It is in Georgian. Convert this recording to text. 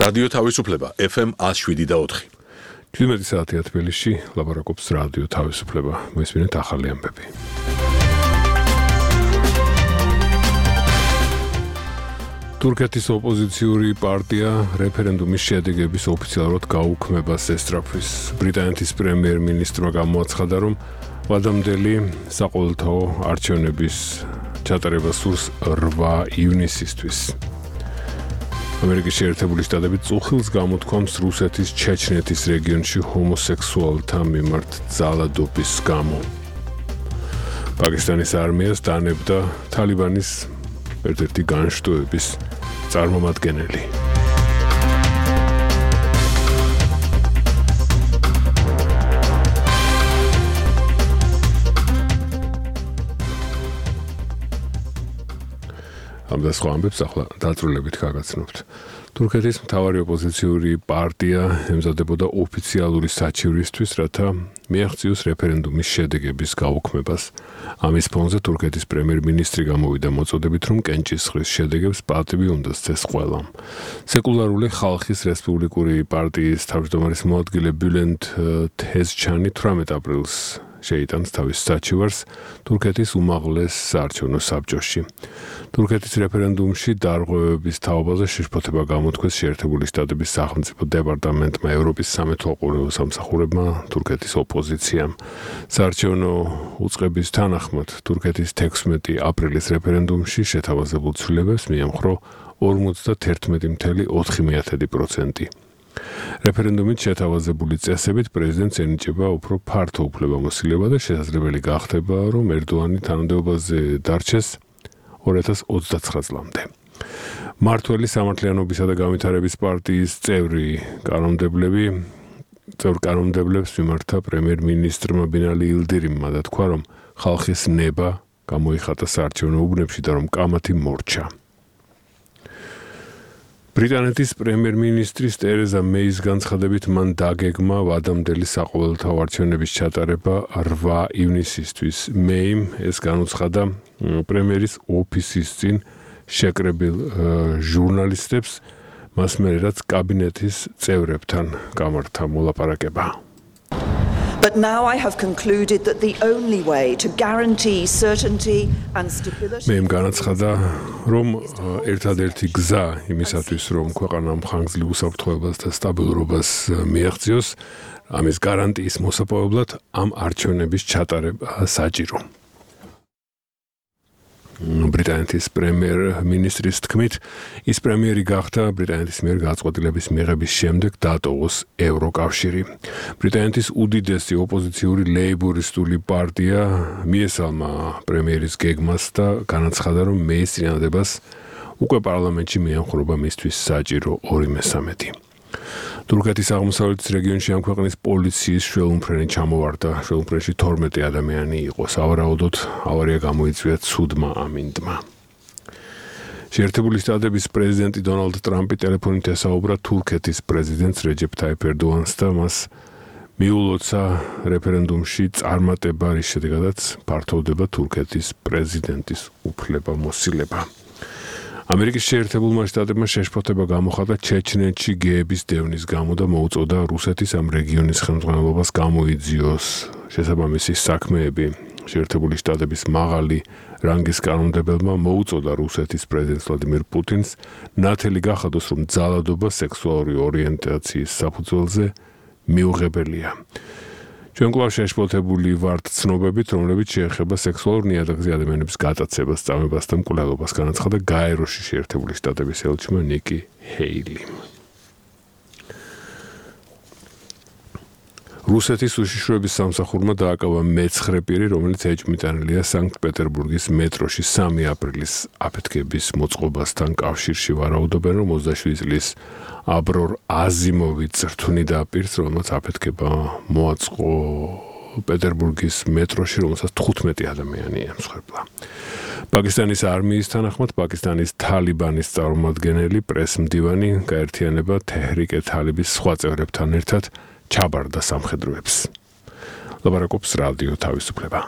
რადიო თავისუფლება FM 107.4. 17 საათია თბილისში, ლაპარაკობს რადიო თავისუფლება. მოისმინეთ ახალი ამბები. თურქეთის ოპოზიციური პარტია რეფერენდუმის შედეგების ოფიციალურად გაუქმებას ესწრაფვის. ბრიტანეთის პრემიერ-მინისტრმა გამოაცხადა, რომ ვადამდელი საყოველთაო არჩევნების ჩატარება სურს 8 ივნისისთვის. ამერიკის შეერთებული შტატები წუხილს გამოთქვამს რუსეთის ჩეჩნეთის რეგიონში ჰომოსექსუალთა მიმართ ძალადობის გამო. პაკისტანის არმიას დანებდა თალიბანის ერთ-ერთი განშტოების წარმომადგენელი. ამ და სხვა ამბებს ახლა დაწვრილებით გაგაცნობთ. თურქეთის მთავარი ოპოზიციური პარტია ემზადებოდა ოფიციალური საჩივრისთვის, რათა მიაღწიოს რეფერენდუმის შედეგების გაუქმებას. ამის ფონზე თურქეთის პრემიერ-მინისტრი გამოვიდა მოწოდებით, რომ კენჭისყრის შედეგებს პატივი უნდა სცეს ყველამ. სეკულარული ხალხის რესპუბლიკური პარტიის თავმჯდომარის მოადგილე ბულენდ თეზჩანი 18 აპრილს შეიტანს თავის საჩივარს თურქეთის უმაღლეს საარჩევნო საბჭოში. თურქეთის რეფერენდუმში დარღვევების თაობაზე შეშფოთება გამოთქვეს შეერთებული შტატების სახელმწიფო დეპარტამენტმა, ევროპის სამეთვალყურეო სამსახურებმა, თურქეთის ოპოზიციამ. საარჩევნო უწყების თანახმად თურქეთის 16 აპრილის რეფერენდუმში შეთავაზებულ ცვლილებებს მიემხრო 51.4%. რეფერენდუმით შეთავაზებული წესებით პრეზიდენტს ენიჭება უფრო ფართო უფლებამოსილება და შესაძლებელი გახდება, რომ ერდოანი თანამდებობაზე დარჩეს 2029 წლამდე. მართველი სამართლიანობისა და განვითარების პარტიის წევრი კანონმდებლებს მიმართა პრემიერ-მინისტრმა ბინალი ილდირიმმა დათქვა, რომ ხალხის ნება გამოიხატა საარჩევნო უბნებში და რომ კამათი მორჩა. ბრიტანეთის პრემიერ-მინისტრის ტერეზა მეის განცხადებით მან დაგეგმა ვადამდელი საყოველთაო არჩევნების ჩატარება 8 ივნისისთვის. მეიმ ეს განუცხადა პრემიერის ოფისის წინ შეკრებილ ჟურნალისტებს, მას მერე რაც კაბინეტის წევრებთან გამართა მოლაპარაკება. But now I have concluded that the only way to guarantee certainty and stability მეიმ განაცხადა, რომ ერთადერთი გზა იმისათვის, რომ ქვეყანამ ხანგრძლივ უსაფრთხოებას და სტაბილურობას მიაღწიოს, ამის გარანტიის მოსაპოვებლად ამ არჩევნების ჩატარება საჭირო. ბრიტანეთის პრემიერ-მინისტრის თქმით, ის პრემიერი გახდა ბრიტანეთის მიერ გადაწყვეტილების მიღების შემდეგ დატოვოს ევროკავშირი. ბრიტანეთის უდიდესი ოპოზიციური ლეიბორისტული პარტია მიესალმა პრემიერის გეგმას და განაცხადა, რომ მეის წინადადებას უკვე პარლამენტში მიემხრობა მისთვის საჭირო 2/3. თურქეთის აღმოსავლეთის რეგიონში ამ ქვეყნის პოლიციის შველუმფრენი ჩამოვარდა. შველუმფრენში 12 ადამიანი იყო. სავარაუდოდ ავარია გამოიწვია ცუდმა ამინდმა. შეერთებული შტატების პრეზიდენტი დონალდ ტრამპი ტელეფონით ესაუბრა თურქეთის პრეზიდენტს რეჯეფ ტაიფ ერდოანს და მას მიულოცა რეფერენდუმში წარმატება, რის შედეგადაც ფართოვდება თურქეთის პრეზიდენტის უფლებამოსილება. ამერიკის შეერთებულმა შტატებმა შეშფოთება გამოხატა ჩეჩნეთში გეების დევნის გამო და მოუწოდა რუსეთის ამ რეგიონის ხელმძღვანელობას გამოიძიოს შესაბამისი საქმეები. შეერთებული შტატების მაღალი რანგის კანონმდებელმა მოუწოდა რუსეთის პრეზიდენტს ვლადიმირ პუტინს ნათელი გახადოს, რომ ძალადობა სექსუალური ორიენტაციის საფუძველზე მიუღებელია. ჩვენ კვლავ შეშფოთებული ვართ ცნობებით, რომლებიც შეეხება სექსუალურ ნიადაგზე ადამიანების გატაცებას, წამებას და მკვლელობას, განაცხადა გაეროში შეერთებული შტატების ელჩმა ნიკი ჰეილიმ. რუსეთის უშიშროების სამსახურმა დააკავა მე-9 პირი, რომელიც ეჭვმიტანილია სანქტ-პეტერბურგის მეტროში 3 აპრილის აფეთქების მოწყობასთან კავშირში. ვარაუდობენ, რომ 27 წლის აბრორ აზიმოვი წრთვნიდა პირს, რომელსაც აფეთქება მოაწყო პეტერბურგის მეტროში, რომელსაც 15 ადამიანი ემსხვერპლა. პაკისტანის არმიის თანახმად, პაკისტანის თალიბანის წარმომადგენელი პრესმდივანი გაერთიანება თეჰრიკე თალიბის სხვა წევრებთან ერთად ჩაბარდა სამხედროებს. ლაპარაკობს რადიო თავისუფლება.